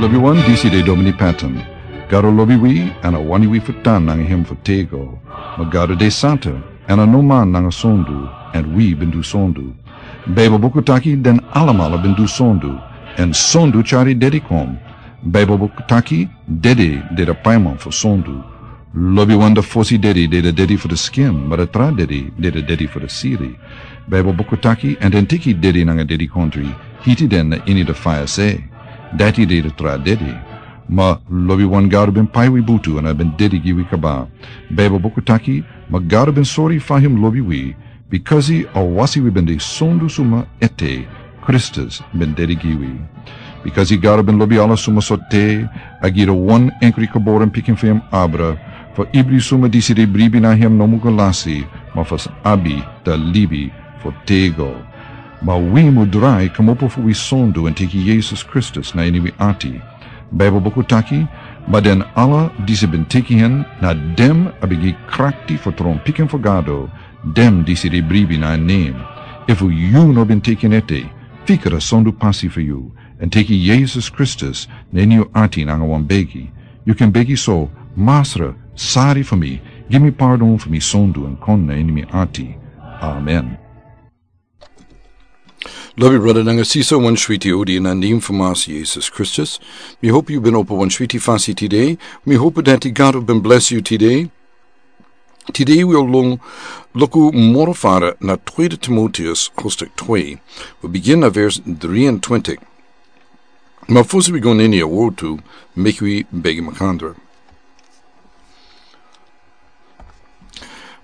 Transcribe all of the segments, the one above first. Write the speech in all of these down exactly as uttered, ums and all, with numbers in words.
Wi wan disi de Domini Patton. Gado lobi wi, èn a wani wi fu tan nanga hem fu tego. Ma Gado de santa, èn a no man nanga sondu, èn wi ben du sondu. Baibel buku taki den alamala ben du sondu, èn sondu tyari dedi kon. Baibel buku taki dedi de da paiman fu sondu. Lobi wan da fosi dedi de da dedi fu da skin, ma da tra dedi de da dedi fu da siri. Baibel buku taki, èn den teki dedi nanga dedi kontri, hiti den na ini da faya se. Dati de da tra dedi. Ma lobi wan Gado ben pai wi butu èn a ben dedi gi wi kaba. Baibel buku taki, ma Gado ben sori fa hem lobi wi, bikasi a wasi wi ben de sondu suma ete, Kristus ben dedi gi wi. Bikasi Gado ben lobi ala suma so te, a gi da wan enkri geboren pikin fu hem abra, fu ibri suma disi de bribi na hem no mu go lasi, ma fu abi da libi fu tego. Ma wi mu drai komopo fu wi sondu èn teki Yesus Kristus na ini wi ati. Baibel buku taki, ma den ala disi ben teki hen, na dem a ben gi krakti fu tron pikin fu Gado, dem disi de bribi na en nen. Efu yu no ben teki en ete, fika da sondu pasi fu yu, èn teki Yesus Kristus na ini yu ati nanga wan begi. Yu kan begi so, Masra, sari fu mi, gi mi pardon fu mi sondu èn kon na ini mi ati. Amen. Lobi brada nanga sisa, wan switi odi na nen fu Masa Yesus Kristus. Mi hopu yu ben opo wan switi fasi tide. Mi hopu dati Gado ben blesi yu tide. Tide wi o lon luku moro fara na Tweede Timoteus hoofdstuk twee. Wi bigin na vers drie en twintig. Ma fosi wi go na ini a wortu, meki wi begi makandra.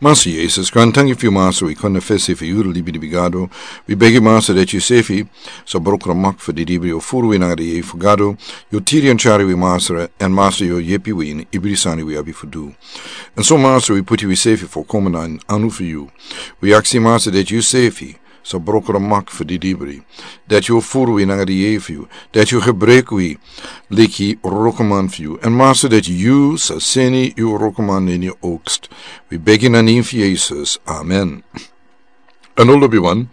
Masa Yesus, grantangi fu yu Masa, wi kon na fesi fu yu libi di bigado. Wi begi Masa dati yu sefi sa broko da mak fu di dibri, yu o furu wi nanga di yei fu Gado. Yu o tiri èn tyari wi Masa, èn Masa yu o yepi wi ini ibri sani wi abi fu du. Èn so Masa wi puti wi sefi fu koma na anu fu yu. Wi aksi Masa dati yu sefi sa broko da mak fu di dibri. Dati yu o furu wi nanga di yei fu yu. Dati yu o gebruku wi leki wrokoman fu yu. Èn Masa dati yu sa seni yu wrokoman na ini yu oogst. Wi begi na nen fu Yesus. Amen. Èn lobi wan,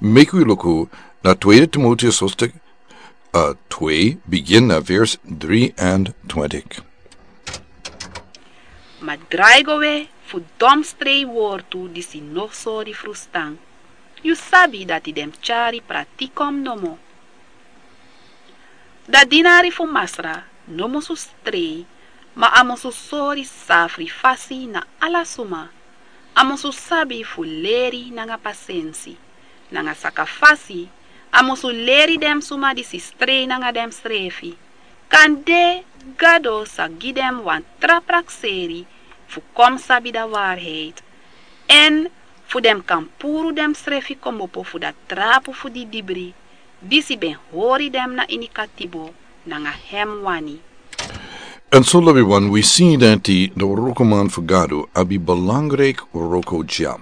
meki wi luku na Tweede Timoteus hoofdstuk twee, bigin na vers drie en twintig. Ma drai go we fu domstrei wortu disi no sori frustan. Yu sabi dati den tyari pratikom nomo. Da dinari fu Masra no musu strei, ma a musu sori safri fasi na ala suma. A musu sabi fu leri nanga pasensi. Nanga saka fasi, a musu leri den suma disi strei nanga densrefi. Kande Gado sa gi den wan tra prakseri fu kon sabi da waarheid. Èn fu den kan puru densrefi kmopo fu da trapu fu di dibri, disi ben hori den na ini katibo nanga hem wani. Èn so lobi wan, wi si dati da wrokoman fu Gado abi belangrijk wroko dya.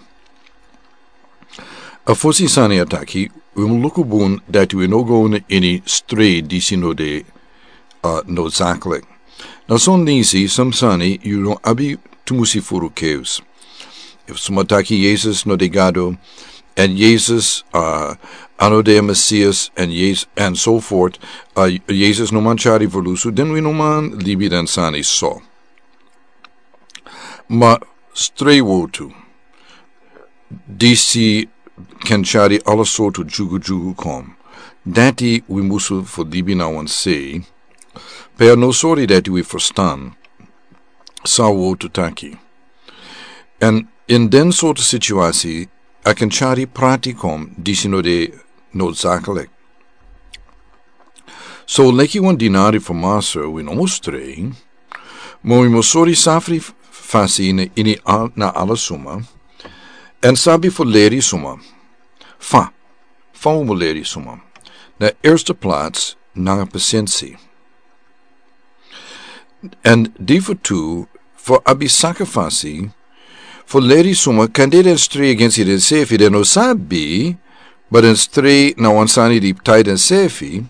A fosi sani a taki, wi mu luku bun dati wi no go na ini strei disi no de, a, nodzaklik. Na son disi, son sani yu no abi tumusi furu keus. Efu suma taki Yesus no de Gado, èn Yesus, a, a no de Mesias, èn Yes-, èn so voort, a, Yesus no man tyari verlusu, den wi no man libi den sani so. Ma strei wortu, disi kan tyari ala sortu dyugudyugu kon. Dati wi musu fu libi na wan sei. Pe a no sori dati wi frustan san wortu taki. Èn ini den sortu situasi, a kan tyari prati kon disi no de nodzaklik. So leki wan dinari fu Masra, wi no mus strei, ma wi mus sori safri f-, fasi na ini al-, na ala suma, èn sabi fu leri suma. Fa, fa wi mus leri suma. Na eerste plaats, nanga pasensi. Èn di fu tu, fu abi saka fasi, fu leri suma, kande den strei agensi densefi, den no sabi, ma den strei na wan sani di tai densefi,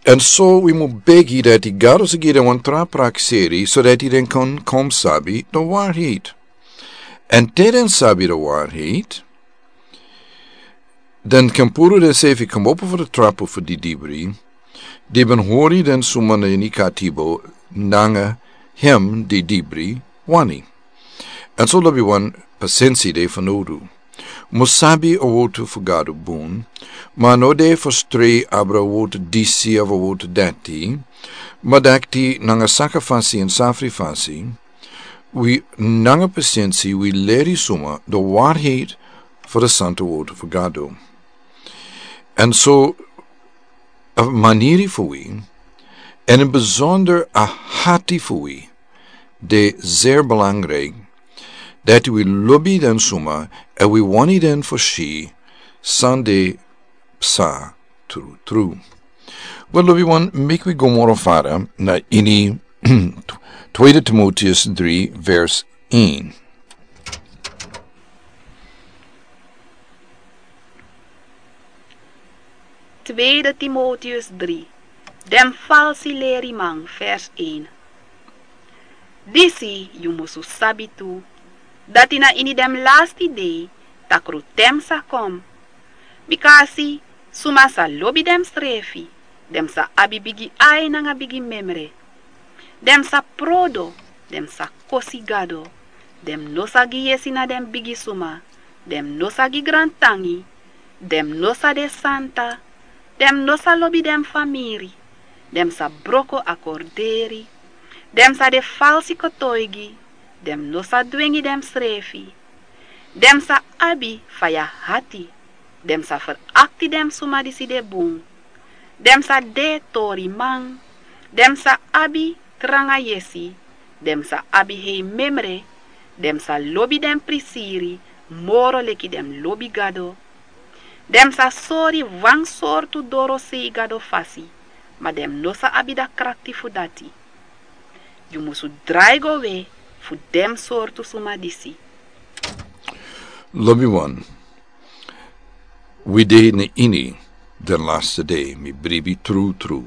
èn so wi mus begi dati Gado sa gi den wan tra prakseri, so dati den kan kon sabi da waarheid. Èn te den sabi da waarheid, den kan puru densefi kmopo fu da trapu fu di dibri, di ben hori den suma na ini katibo nanga hem di dibri wani. Èn so lobi wan pasensi de fanodu. Mus sabi a wotu fu Gado bun, ma no de fu strei abra wotu disi of a wotu dati, ma dakti nanga saka fasi èn safri fasi, wi nanga pasensi wi leri suma de warheid fu de santa wotu fu Gado. Èn so a maniri fu wi, èn in besonder a hati fu wi, de zeer belangrijk, dati wi lobi den suma, èn wi wani den fu si san de psa tru tru. Wel, lobi wan, meki wi go moro fara na ini Tweede Timotheus drie vers een. Tweede Timotheus drie. Den falsi leriman, vers een. Disi yu musu sabi tu, dati na ini den lasti dei takrutem sa kon. Bika a si, suma sa lobi densrefi, den sa abi bigi ai nanga bigi memre. Den sa prodo, den sa kosi Gado, den no sa gi yesi na den bigi suma, den no sa gi grantangi, den no sa de santa, den no sa lobi den famiri, den sa broko akorderi, den sa de falsi kotoigi, den no sa dwengi densrefi, den sa abi faya hati, den sa ferakti den suma disi de bun, den sa de toriman, den sa abi tranga yesi, den sa abi hei memre, den sa lobi den prisiri moro leki den lobi Gado, den sa sori wan sortu dorosei Gado fasi, ma den no sa abi da krakti fu dati. Yu musu drai go we fu den sortu suma disi. Lobi wan, wi de na ini den laste dei, mi bribi tru tru.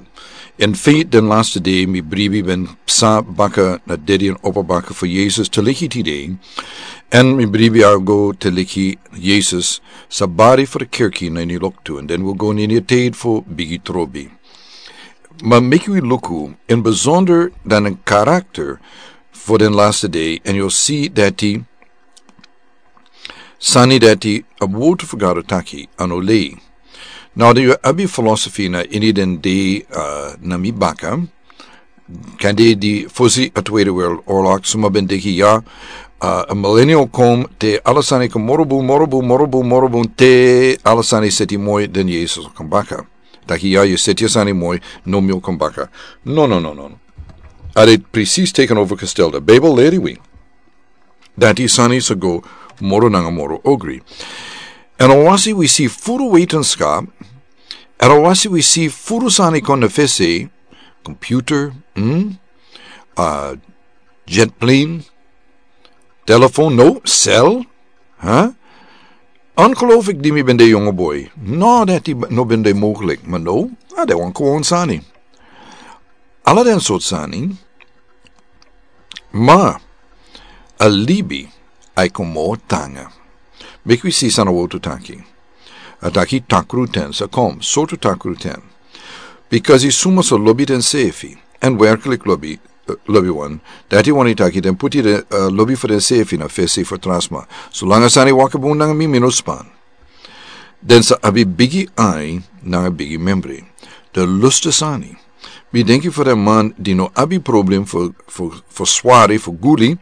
In feite, den laste dei mi bribi ben psa baka na dedi èn opo baka fu Yesus te leki tide. Èn mi bribi a go te leki Yesus sa bari fu de kerki na ini loktu, èn den wi go na ini a tide fu bigi trobi. Ma meki wi luku in besonder dan a karakter fu den laste dei, èn yu o si dati sani dati a wotu fu Gado taki, a no lei. Now, den yu abi philosophy na ini den dei, uh, na mi baka. Kan de di fosi a Tweede Wereldoorlog, suma ben denki ya, uh, a millennial kon te ala sani kon moro bun, moro bun, moro bun, moro bun, te ala sani seti moi, den Yesus o kon baka. Taki ya, yu seti a sani moi, now mi o kon baka. No, no, no, no, no. A de precies tegenovergestelde. Bijbel leri wi dati sani sa go moro nanga moro ogri. Èn a wasi wi si furu wetenschap, èn a wasi wi si furu sani kon na fesi, computer, hmm? Uh, jet plane, telefoon, no, cel, huh? Ongelooflijk, di mi ben de jonge boy. No, dati no ben de mogelijk, ma no, a de wan gewoon sani. Ala den sort sani, ma a libi a e kon moro tanga. Meki wi si san a wotu taki. A taki takruten sa kon, sortu takruten. Because i suma sa lobi densefi, èn werkelijk lobi, eh, lobi wan, dati wani taki den poti den, eh, lobi fu densefi na fesi fu tra sma. Solanga sani waka bun nanga mi, mi no span. Den sa abi bigi ai nanga bigi membri. Den lustu sani. Mi denki fu den man di no abi problem fu, fu, fu swari, fu guli,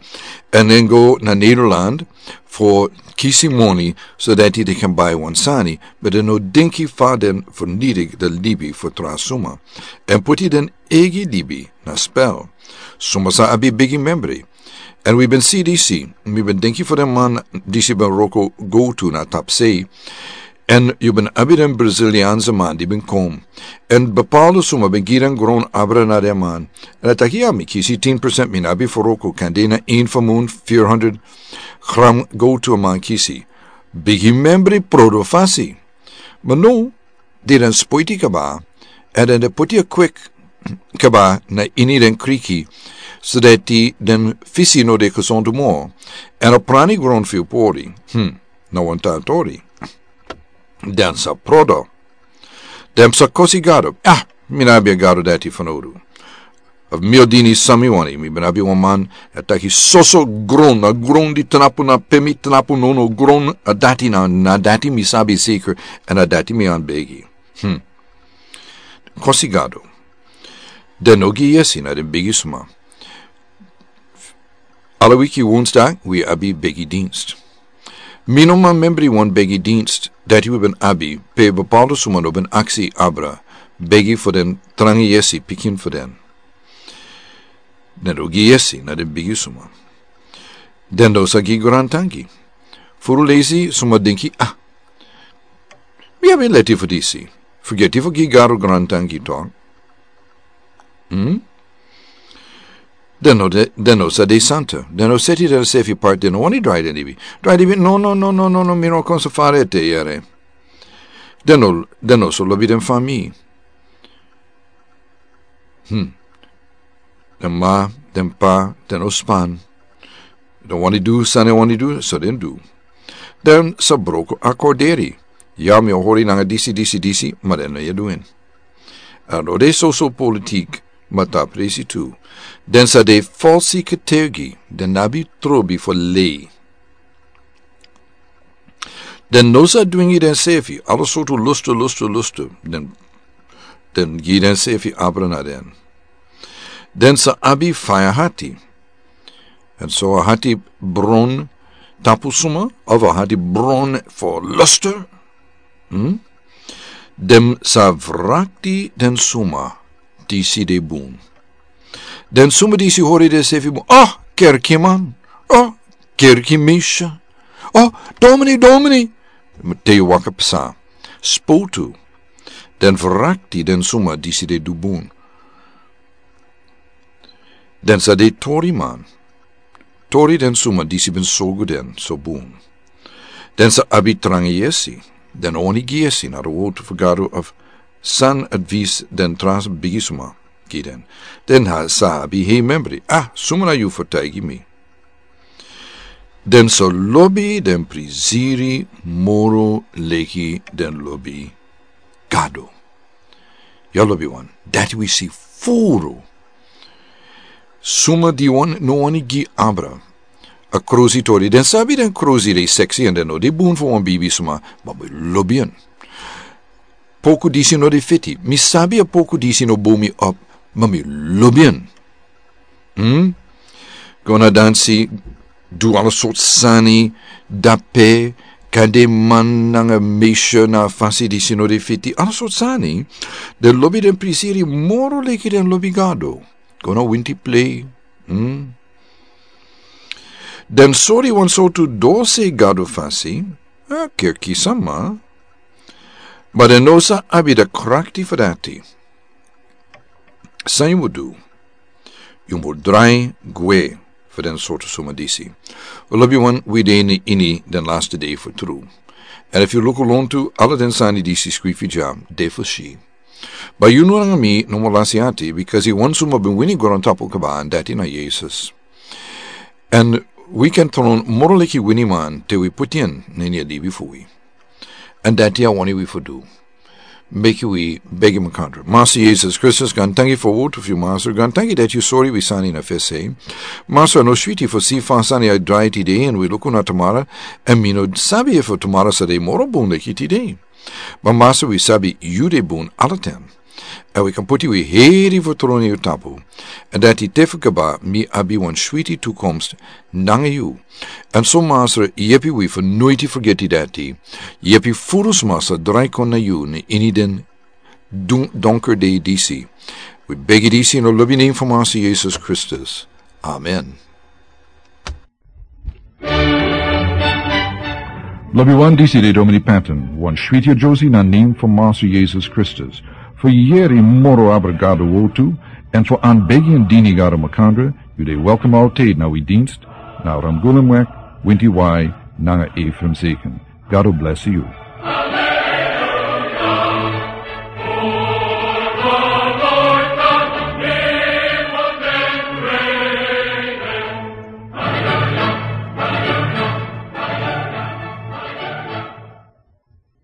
èn den go na Nederland fu kisi moni, so dati den kan bai wan sani, ma den no denki fa den fu nidi den libi fu tra suma. Èn poti den eigi libi na spel. Suma sa abi bigi membri. Èn wi ben si disi, mi ben denki fu den man disi ben wroko go tu na tapsei. Èn yu ben abi den Braziliaanse man di ben kon. Èn bepaalde suma ben gi den gron abra na den man. Èn a taki ya, mi kisi tin procent, mi no abi fu wroko, kan de na een fu mun, vierhonderd gram go tu a man kisi. Bigi membri prodo fasi. Ma no, di den spoiti kaba, èn den de poti a kwik kaba na ini den kriki, so dati den fisi no de gesond moro, èn a prani gron fu yu pori, hmm, na wan tan tori. Den sa prodo. Den sa kosi Gado. Ah, Mi no abi a gado dati fanowdu. Of mi o dini san mi wani, mi ben abi wan man a taki soso gron, a gron di tnapu na pe mi tnapu, no, no, gron a dati na, na dati mi sabi seker, èn a dati mi anbegi. Hmm. Kosi gado. Den no gi yesi na den bigi suma. Ala wiki wonsdag wi abi begi dinst. Mi no man membri wan begi dinst dati wi ben abi pe bepaalde suma no ben aksi abra begi fu den trangi yesi pikin fu den. Den no gi yesi na den bigi suma. Den no sa gi grantangi. Furu lesi suma denki, ah, mi abi leti fu disi. Fugeti fu gi gado grantangi tok. Hmm? Den no de, den no sa de santa. Den no seti den sefi parti, den no wani drai den libi. Drai libi, no, no, no, no, no, no, mi no kon sa fare te yere. Den no, den no so lobi den fami. Hmm. Den ma, den pa, den no span. Den wani du san den wani du, so den du. Den sa broko akorderi. Ya mi o hori nanga disi, disi, disi, ma den no e du en. A no de soso politik, ma ta presi tu. Den sa de falsi ketegi, den no abi trobi fu lei. Den no sa dwingi den sefi, ala sortu lustu, lustu, lustu. Den, den gi den sefi abra na den. Den sa abi faya hati. Èn so a hati bron tapu suma, of a hati bron fu lustu. Hmm? Den sa vrakti den suma disi de bun. Den suma disi hori den sefi bun. Oh, kerkiman. Oh, kerki misha. Oh, domini, domini. Te yu waka psa. Spotu. Den vrakti den suma disi de du bun. Den sa de tori man. Tori den suma disi ben sorgu den so bun. Den sa abi trangi yesi. Den no wani gi yesi na de wotu fu gado of san advis den trans bigi suma gi den. Den ha, sa abi hei membri. Ah, suma na yu fu taigi mi. Den sa lobi den prisiri moro leki den lobi gado. Ya lobi wan, dati wi si furu. Suma di wan, no wani gi abra. A krusi tori, den sabi den krusi de seksi èn den no de bun fu wan bibi suma, ma mi lobi en. Poku disi no de fiti, mi sabi a poku disi no bun mi op, ma mi lobi en. Hmm? Go na dansi, du ala sortu sani, dape, kande man nanga meisje na fasi disi no de fiti, ala sortu sani. Den lobi den prisiri moro leki den lobi gado. Go na winti plei. Hmm? Den sori wan sortu dose gado fasi, a kerki sama. Ma den no sa abi de krakti fu dati. San yu mus du? Yu mus drai gwe fu den sortu suma disi. Lobi wan, wi de ini den laste dei fu tru. Èn efu yu luku lontu, ala den sani disi skrifi dya de fu si. Bai yu no nanga mi no mus lasi ati, bikasi wan suma ben wini grontapu kaba, èn dati na Yesus. Èn wi kan tron moro leki winiman te wi poti en na ini a libi fu wi. Èn dati a wani wi fu du. Meki wi begi makandra. Masra Yesus Kristus, gaantangi fu a wotu fu yu, Masra. Gaantangi dati yu sori wi sani na fesi. Masra, a no switi fu si fa sani e drai tide, èn wi luku na tumara, èn mi no sabi efu tumara sa de moro bun leki tide. Ma Masra, wi sabi yu de bun ala ten. Èn wi kan poti wi heri fu tron na yu tapu. Èn dati te fu kaba mi abi wan switi tukomst nanga yu. Èn so Masra, yepi wi fu noiti fergeti dati. Yepi furu sma sa drai kon na yu na ini den dun-, donker dei disi. Wi begi disi na lobi nen fu Masra Yesus Kristus. Amen. Lobi wan, disi de Domini Patton, wan switi a Josie na nen fu Masra Yesus Kristus. Fu yeri moro abra Gado wotu, èn fu anbegi èn dini Gado makandra, yu de welkom altijd na wi dienst, na Ramgulumweg, winti wai, nanga Ephraim Zeken. Gado bless yu.